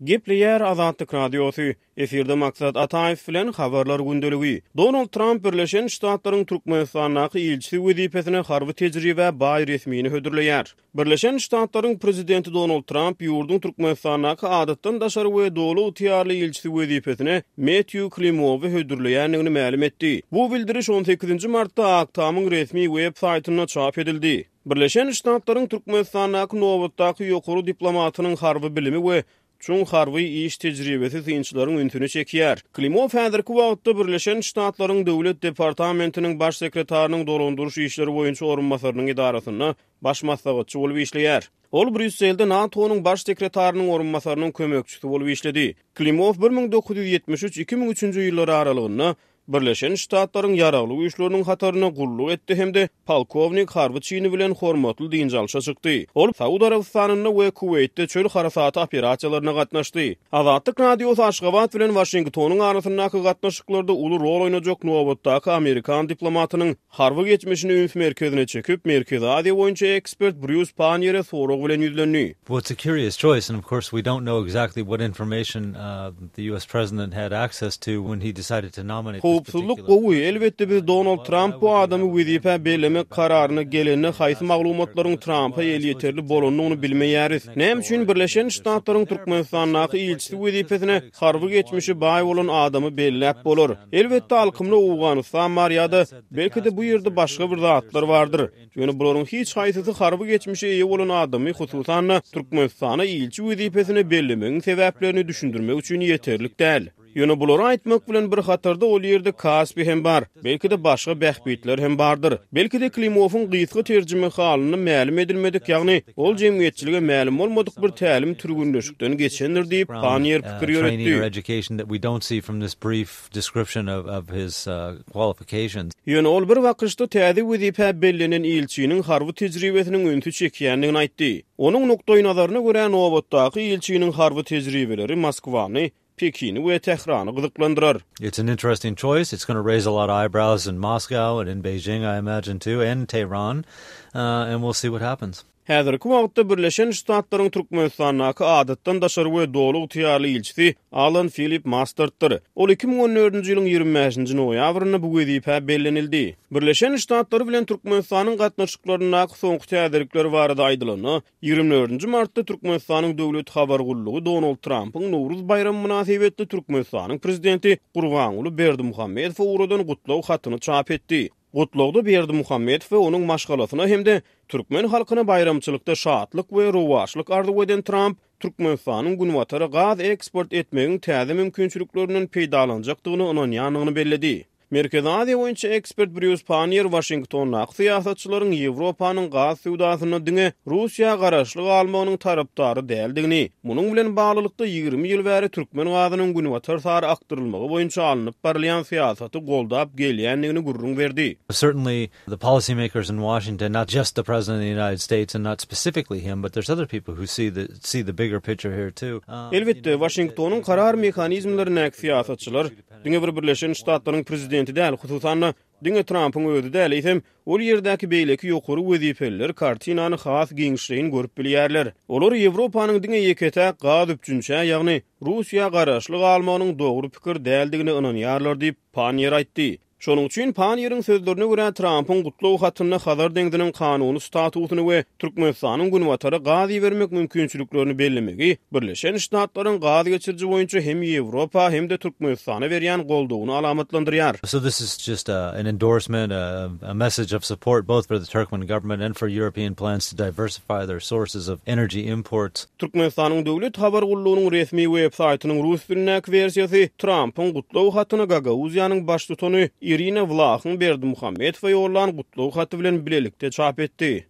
Gepleýär Azatlyk Radiosy, Efirde Maksat Ataýew bilen Habarlar gündeligi. Donald Tramp Birleşen Ştatlaryň Türkmenistandaky ilçisi wezipesine harby tejribä baý resmini hödürleýär. Birleşen Ştatlaryň Prezidenti Donald Tramp ýurduň Türkmenistandaky adatdan daşary we doly ygtyýarly ilçisi wezipesine Metýu Klimowy hödürleýändigini mälim etdi. Bu bildiriş on sekizinji martda Ak Tamyň resmi web saýtynda çap edildi. Birleşen Ştatlaryň Türkmenistandaky nobatdaky ýokary diplomatynyň harby bilimi we çuň harby iş tejribesi synçylaryň ünsüni çekýär. Klimow häzirki wagtda Birleşen Ştatlaryň Döwlet departamentiniň Baş sekretarynyň dolandyryş işleri boýunça orunbasarynyň edarasynda baş maslahatçy bolup işleýär. Ol Brýusselde NATO-nyň Baş sekretarynyň orunbasarynyň kömekçisi bolup işledi. Klimow 1973, 2003-nji ýyllar aralygynda Birleşen Ştatlaryň Ýaragly Güýçleriniň hatarynda gulluk etdi hem-de polkownik harby çini bilen hormatly dynç alşa çykdy. Ol Saud Arabystanynda we Kuweýtde çöl harasaty operasiýalaryna gatnaşdy. Azatlyk Radiosy Aşgabat bilen Waşingtonyň arasyndaky gatnaşyklarda uly rol oýnajak nobatdaky amerikan diplomatynyň Harby geçmişini üns merkezine çekip, Merkezi Aziýa boýunça ekspert Brýus Panniýere sorag bilen ýüzlendi. Well, it's a curious choice, and of course we don't know exactly what information the US president had access to when he decided to nominate this particular Howpsuzlyk gowy, elbetde biz Donald Tramp bu adamy wezipä bellemek kararyna gelende haýsy maglumatlaryň Trampa elýeterli bolandygyny bilmeýäris. Näme üçin Birleşen Ştatlaryň Türkmenistandaky ilçisi wezipesine harby geçmişi baý bolan adamy belläp bolar? Elbetde alkymda Owganystan bar ýa-da belki-de bu ýerde başga bir zatlar bardyr. Ýöne bularyň hiç haýsysy harby geçmişe eýe bolan adamy, hususan-da, Türkmenistana ilçi wezipesine bellemegiň sebäplerini düşündirmek üçin ýeterlik däl. Ýöne bulary aýtmak bilen bir hatarda ol ýerde Kaspi hem bar, belki-de başga bähbitler hem bardyr. Belki-de Klimowyň gysga terjimehalynda mälim edilmedik, ýagny ol jemgyýetçilige mälim bolmadyk bir tälim-türgünleşikden geçendir diýip, Panniýer pikir ýöretdi. Ýöne ol bir bakyşda täze wezipä bellenen ilçiniň harby tejribesiniň ünsi çekýändigini aýtdy. Onuň nukdaýnazaryna görä, nobatdaky ilçiniň harby tejribeleri Moskwany, Pekini we Tährany gyzyklandyrar. It's an interesting choice. It's gonna raise a lot of eyebrows in Moscow and in Beijing I imagine too and Tehran and we'll see what happens. Häzirki wagtda Birleşen Ştatlaryň Türkmenistandaky Adatdan daşary we Doly ygtyýarly ilçisi Alan Filip Mastarddyr. Ol 2014-nji ýylyň 25-nji noýabrynda bu wezipä bellenildi. Birleşen Ştatlary bilen Türkmenistanyň gatnaşyklaryndaky soňky täzelikler barada aýdylanda, 24-nji martda Türkmenistanyň Döwlet habar gullugy Donald Trampyň Nowruz baýramy mynasybetli Türkmenistanyň Prezidenti Gurbanguly Berdimuhamedowa ugradan gutlag hatyny çap etdi. Gutlagda Berdimuhamedow we onuň maşgalasyna hem-de türkmen halkyna baýramçylykda şatlyk we rowaçlyk arzuw eden Tramp, Türkmenistanyň Günbatara gaz eksport etmegiň täze mümkinçiliklerinden peýdalanjakdygyna ynanýandygyny belledi. Merkezi Aziýa boýunça ekspert Brýus Panniýer Waşingtondaky syýasatçylaryň Ýewropanyň gaz söwdasynda diňe Russiýa garaşly galmagynyň tarapdary däldigini, munuň bilen baglylykda 20 ýyl bäri türkmen gazynyň günbatar sary akdyrylmagy boýunça alnyp barylýan syýasaty goldap gelýändigini gürrüň berdi. Certainly the policy makers in Washington, not just the President of the United States and not specifically him, but there's other people who see the see the bigger picture here too. Elbetde, Waşingtonyň karar mehanizmlerindäki syýasatçylar, Diňe bir Birleşen Ştatlaryň prezidenti däl, hususan-da, diňe Trampyň özi däl, eýsem, ol ýerdäki beýleki ýokary wezipeliler kartinany has giňişleýin görüp bilýärler. Olar Ýewropanyň diňe ýeke-täk gaz üpjünçä, ýagny Russiýa garaşly galmagynyň dogry pikir däldigine ynanýarlar diýip, Panniýer aýtdy. Şonuň üçin, Panniýeriň sözlerine görä, Trampyň gutlag hatynda Hazar deňziniň kanuny statusyny we Türkmenistanyň Günbatara gaz ibermek mümkinçiliklerini bellemegi Birleşen Ştatlaryň gaz geçiriji boýunça hem Ýewropa, hem-de Türkmenistana berýän goldawyny alamatlandyrýar. So this is just an endorsement, a message of support both for the Turkmen government and for European plans to diversify their sources of energy imports. Türkmenistanyň Döwlet habar gullugynyň resmi web saýtynyň rus dilindäki wersiýasy Trampyň gutlag hatyny Gagauziýanyň baştutany Irina Wlahyň Berdimuhamedowa ýollan gutlag haty bilen bilelikde çap etdi.